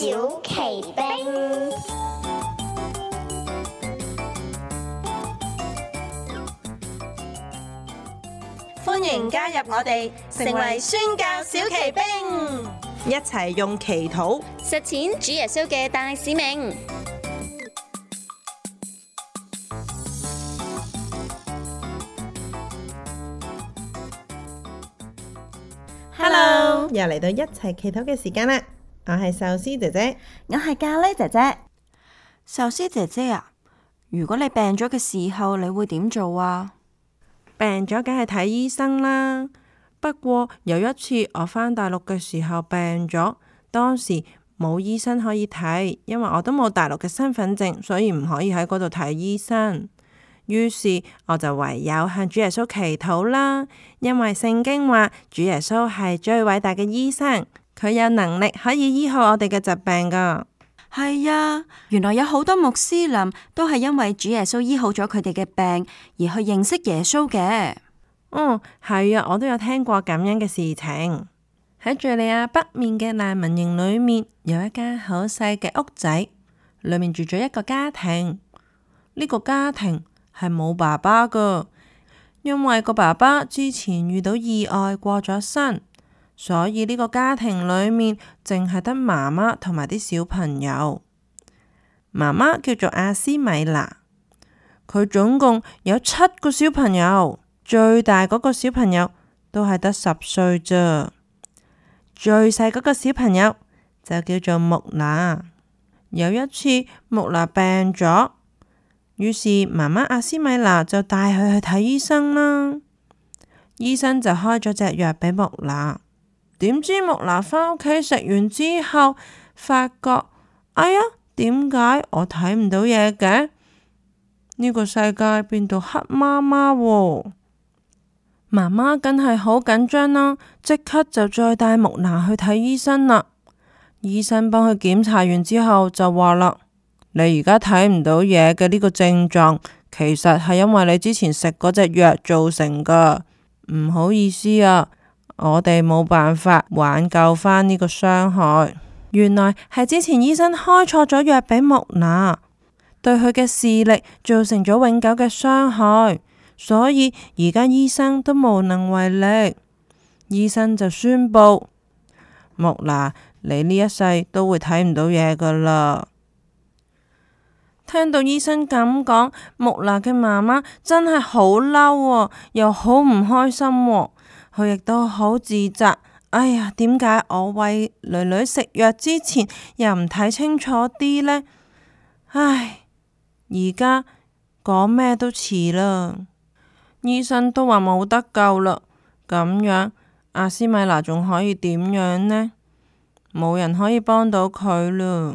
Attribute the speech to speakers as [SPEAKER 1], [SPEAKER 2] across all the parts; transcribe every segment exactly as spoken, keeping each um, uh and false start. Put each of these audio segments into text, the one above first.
[SPEAKER 1] 小奇兵。
[SPEAKER 2] 歡迎加入我哋，成為宣教小奇兵，一齊用祈禱
[SPEAKER 3] 實踐主耶穌嘅大使命。
[SPEAKER 2] Hello，又嚟到一齊祈禱嘅時間啦！我係壽司姐姐，
[SPEAKER 4] 我係咖喱姐姐。
[SPEAKER 5] 壽司姐姐啊，如果你病咗嘅時候，你會點做啊？
[SPEAKER 2] 病咗梗係睇醫生啦。不過有一次我返大陸嘅時候病咗，當時冇醫生可以睇，因為我都冇大陸嘅身份證，所以唔可以喺嗰度睇醫生。於是我就唯有向主耶穌祈禱啦，因為聖經話主耶穌係最偉大嘅醫生，佢有能力可以醫好我哋嘅疾病噶。
[SPEAKER 5] 係啊，原來有好多穆斯林都係因為主耶穌醫好咗佢哋嘅病而去認識耶穌嘅。
[SPEAKER 2] 嗯，係啊，我都有聽過咁樣嘅事情。喺敘利亞北面嘅難民營裏面，有一間好細嘅屋仔，裏面住咗一個家庭。呢個家庭係冇爸爸噶，因為個爸爸之前遇到意外過咗身。所以呢個家庭裏面淨係得媽媽同埋啲小朋友。媽媽叫做阿斯米娜，佢總共有七個小朋友，最大嗰個小朋友都係得十歲啫，最細嗰個小朋友就叫做木娜。有一次木娜病咗，於是媽媽阿斯米娜就帶佢去睇醫生啦。醫生就開咗隻藥俾木娜。點知木娜返屋企食完之後，發覺哎呀，點解我睇唔到嘢嘅？呢個世界變到黑麻麻喎！媽媽梗係好緊張啦，即刻就再帶木娜去睇醫生啦。醫生幫佢檢查完之後就話啦：你而家睇唔到嘢嘅呢個症狀，其實係因為你之前食嗰隻藥造成噶。唔好意思啊。我哋冇辦法挽救返呢個傷害，原來係之前醫生開錯咗藥俾木娜，對佢嘅視力造成咗永久嘅傷害，所以而家醫生都無能為力。醫生就宣布，木娜，你呢一世都會睇唔到嘢噶啦。聽到醫生咁講，木娜嘅媽媽真係好嬲，又好唔開心喎。佢亦都好自責，哎呀，點解我餵囡囡食藥之前又唔睇清楚啲呢？唉，而家講咩都遲啦，醫生都話冇得救啦。咁樣阿斯米娜仲可以點樣呢？冇人可以幫到佢啦。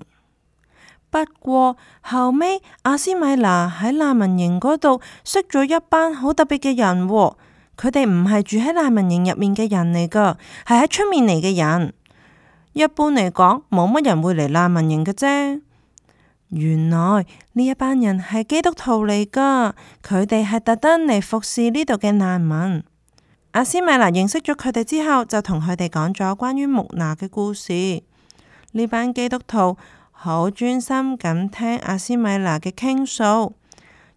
[SPEAKER 2] 不過後尾阿斯米娜喺難民營嗰度識咗一班好特別嘅人喎。佢哋唔係住喺難民營入面嘅人嚟噶，係喺出面嚟嘅人。一般嚟講，冇乜人會嚟難民營嘅啫。原來呢一班人係基督徒嚟噶，佢哋係特登嚟服侍呢度嘅難民。阿斯米娜認識咗佢哋之後，就同佢哋講咗關於木娜嘅故事。呢班基督徒好專心咁聽阿斯米娜嘅傾訴，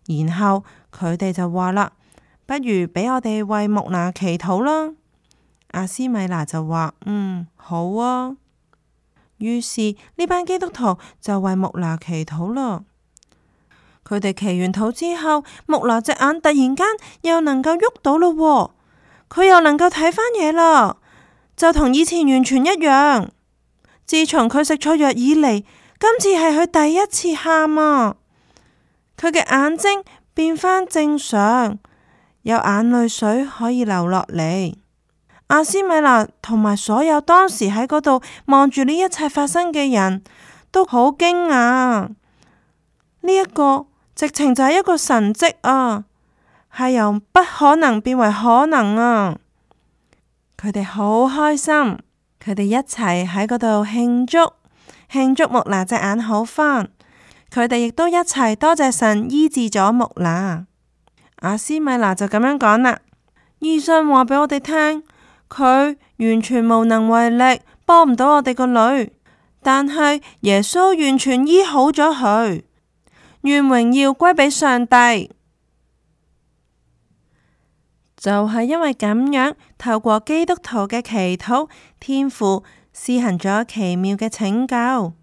[SPEAKER 2] 然後佢哋就話啦：不如俾我哋為木娜祈禱啦。阿斯米娜就話：嗯，好啊。於是呢班基督徒就為木娜祈禱啦。佢哋祈完禱之後，木娜隻眼突然間又能夠喐到咯，佢又能夠睇返嘢啦，就同以前完全一樣。自從佢食錯藥以嚟，今次係佢第一次喊啊！佢嘅眼睛變返正常。有眼淚水可以流落嚟。阿斯米娜同埋所有當時喺嗰度望住呢一切發生嘅人都好驚訝。呢一個直情就係一個神蹟啊，係由不可能變為可能啊！佢哋好開心，佢哋一齊喺嗰度慶祝，慶祝木娜隻眼好返。佢哋亦都一齊多謝神醫治咗木娜。阿斯米娜就咁樣講啦，醫生話俾我哋聽，佢完全無能為力，幫唔到我哋個女，但係耶穌完全醫好咗佢，願榮耀歸俾上帝。就係因為咁樣，透過基督徒嘅祈禱，天父施行咗奇妙嘅拯救。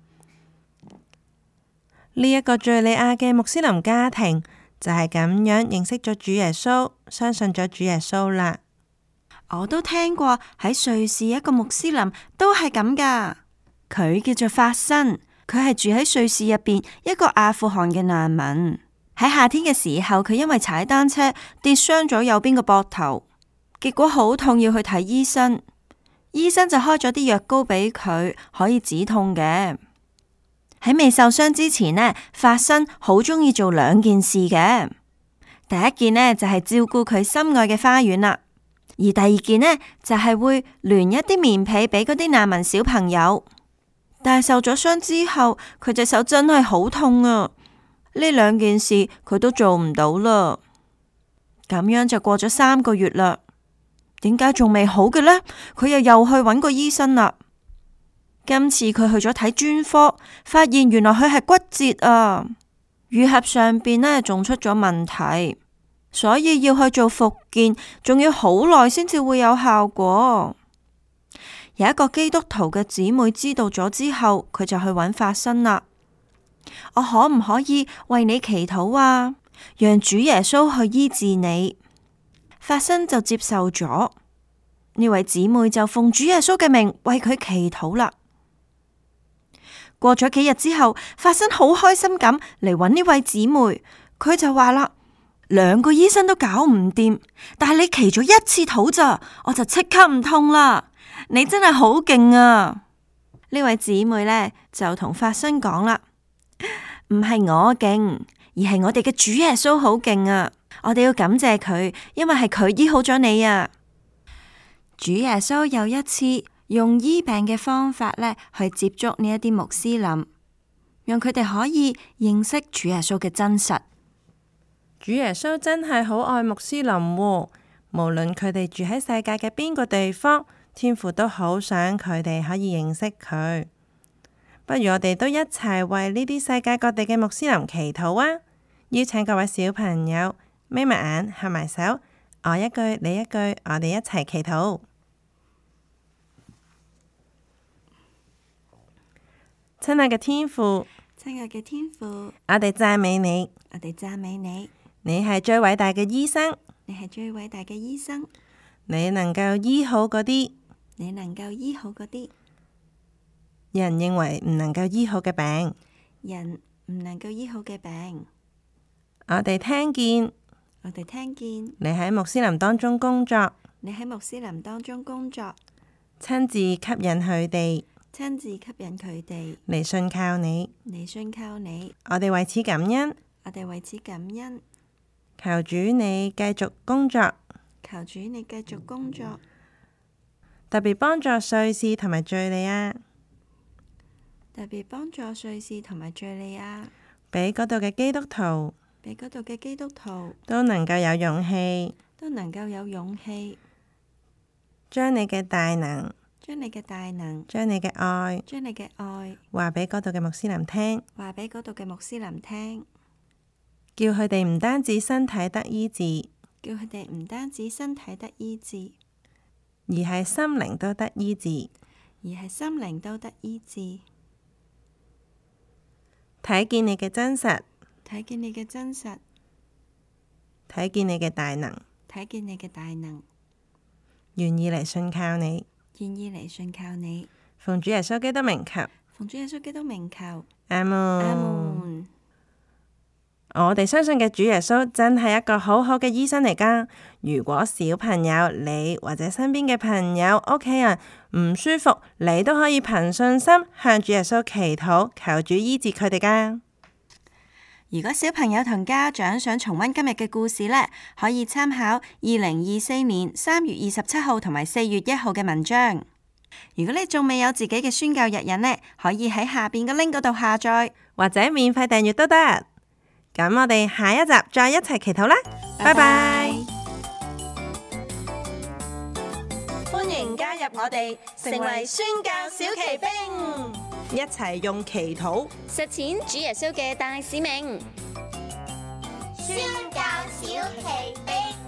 [SPEAKER 2] 呢一個敘利亞嘅穆斯林家庭就係咁樣認識咗主耶穌，相信咗主耶穌啦。
[SPEAKER 5] 我都聽過喺瑞士一個穆斯林都係咁噶，佢叫做法辛，佢係住喺瑞士入邊一個阿富汗嘅難民。喺夏天嘅時候，佢因為踩單車跌傷咗右邊個膊頭，結果好痛，要去睇醫生。醫生就開咗啲藥膏俾佢，可以止痛嘅。喺未受傷之前呢，法辛好中意做兩件事嘅。第一件呢，就係照顧佢心愛嘅花園啦，而第二件呢，就係會聯一啲棉被俾嗰啲難民小朋友。但係受咗傷之後，佢隻手真係好痛啊！呢兩件事佢都做唔到啦。咁樣就過咗三個月啦，點解仲未好嘅呢？佢又又去揾個醫生啦。今次佢去咗睇專科，發現原來佢係骨折啊，愈合上邊呢仲出咗問題，所以要去做復健，仲要好耐先至會有效果。有一個基督徒嘅姊妹知道咗之後，佢就去揾法辛啦。我可唔可以為你祈禱啊？讓主耶穌去醫治你。法辛就接受咗，呢位姊妹就奉主耶穌嘅名為佢祈禱啦。過咗幾日之後，法辛好開心咁嚟揾呢位姊妹，佢就話啦：兩個醫生都搞唔掂，但係你祈咗一次禱咋，我就即刻唔痛啦。你真係好勁啊！呢位姊妹呢，就同法辛講啦。唔係我勁，而係我哋嘅主耶穌好勁啊！我哋要感謝佢，因為係佢醫好咗你啊！主耶穌又一次用醫病嘅方法呢去接觸呢一啲穆斯林，讓佢哋可以認識主耶穌嘅真實。
[SPEAKER 2] 主耶穌真係好愛穆斯林喎，無論佢哋住喺世界嘅邊個地方，天父都好想佢哋可以認識佢。不如我哋都一齊為呢啲世界各地嘅穆斯林祈禱啊！邀請各位小朋友眯埋眼、合埋手，我一句你一句，我哋一齊祈禱。親愛嘅天父，
[SPEAKER 5] 親愛嘅天父，
[SPEAKER 2] 我哋讚美你，
[SPEAKER 5] 我哋讚美你，
[SPEAKER 2] 你係最偉大嘅醫生，
[SPEAKER 5] 你係最偉大嘅醫生，
[SPEAKER 2] 你能夠醫好嗰啲，
[SPEAKER 5] 你能夠醫好嗰啲
[SPEAKER 2] 人認為唔能夠醫好嘅病，
[SPEAKER 5] 人唔能夠醫好嘅病。
[SPEAKER 2] 我哋聽見，
[SPEAKER 5] 我哋聽見
[SPEAKER 2] 你喺穆斯林當中工作，
[SPEAKER 5] 你喺穆斯林當中工作，
[SPEAKER 2] 親自吸引佢哋，
[SPEAKER 5] 親自吸引佢哋
[SPEAKER 2] 嚟信靠你，
[SPEAKER 5] 嚟信靠你。
[SPEAKER 2] 我哋為此感恩，
[SPEAKER 5] 我哋為此感恩。
[SPEAKER 2] 求主你繼續工作，
[SPEAKER 5] 求主你繼續工作，
[SPEAKER 2] 特別幫助瑞士同埋敘利亞，
[SPEAKER 5] 特別幫助瑞士同埋敘利亞，
[SPEAKER 2] 俾嗰度嘅基督徒，
[SPEAKER 5] 俾嗰度嘅基督徒
[SPEAKER 2] 都能夠有勇氣，
[SPEAKER 5] 都能夠有勇氣，
[SPEAKER 2] 將你嘅大能，
[SPEAKER 5] 將你嘅大能，
[SPEAKER 2] 將你嘅愛，
[SPEAKER 5] 將你嘅愛
[SPEAKER 2] 話俾嗰度嘅穆斯林聽，
[SPEAKER 5] 話俾嗰度嘅穆斯林聽，
[SPEAKER 2] 叫佢哋唔單止身體得醫治，
[SPEAKER 5] 叫佢哋唔單止身體得醫治，
[SPEAKER 2] 而係心靈都得醫治，
[SPEAKER 5] 而係心靈都得醫治。
[SPEAKER 2] 睇見你嘅真實，
[SPEAKER 5] 睇見你嘅真實，
[SPEAKER 2] 睇見你嘅大能，
[SPEAKER 5] 睇見你嘅大能，
[SPEAKER 2] 願意嚟信靠你，
[SPEAKER 5] 願意嚟信靠你。
[SPEAKER 2] 奉主耶穌基督名求，
[SPEAKER 5] 奉主耶穌基督名求，
[SPEAKER 2] 阿門。
[SPEAKER 5] 阿門。
[SPEAKER 2] 我哋相信嘅主耶穌真係一個好好嘅醫生嚟㗎。如果小朋友你或者身邊嘅朋友、屋企人唔舒服，你都可以憑信心向主耶穌祈禱，求主醫治佢哋㗎。
[SPEAKER 5] 如果小朋友同家長想重溫今日嘅故事呢，可以參考二零二四年三月二十七號同埋四月一號嘅文章。如果你仲未有自己嘅宣教日引呢，可以喺下邊嘅 link 嗰度下載，
[SPEAKER 2] 或者免費訂閱都得。咁我哋下一集再一齊祈禱啦，拜拜。
[SPEAKER 3] 歡迎加入我哋，成為宣教小騎兵。
[SPEAKER 2] 一齊用祈禱
[SPEAKER 3] 實踐主耶穌嘅大使命。
[SPEAKER 1] 宣教小奇兵。